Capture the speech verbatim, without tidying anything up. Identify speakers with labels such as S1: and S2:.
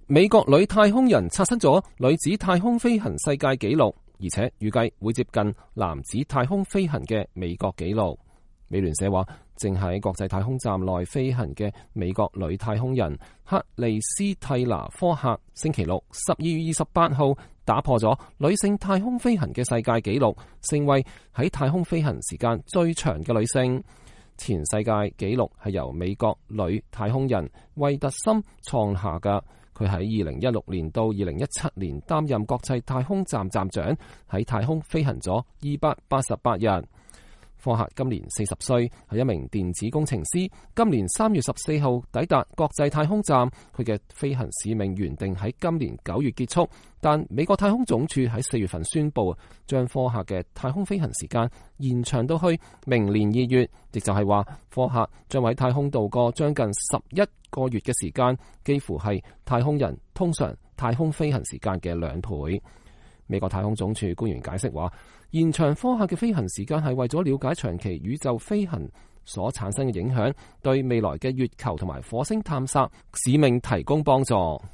S1: 美國女太空人刷新咗女子太空飛行世界紀錄，而且預計會接近男子太空飛行嘅美國紀錄。美聯社話，正喺國際太空站內飛行嘅美國女太空人克利斯蒂娜科克，星期六十二月二十八號打破咗女性太空飛行嘅世界紀錄，成為喺太空飛行時間最長嘅女性。前世界紀錄係由美國女太空人惠特森創下嘅。佢喺二零一六年到二零一七年擔任國際太空站站長，喺太空飛行咗二百八十八日。科克今年四十歲，係一名電子工程師。今年三月十四號抵達國際太空站，佢嘅飛行使命原定喺今年九月結束，但美國太空總署喺四月份宣布，將科克嘅太空飛行時間延長到去明年二月，亦就係話科克將喺太空度過將近十一個月嘅時間，幾乎係太空人通常太空飛行時間嘅兩倍。美國太空總署官員解釋話，延長科克嘅飛行時間係為咗了解長期宇宙飛行所產生嘅影響，對未來嘅月球同埋火星探索使命提供幫助。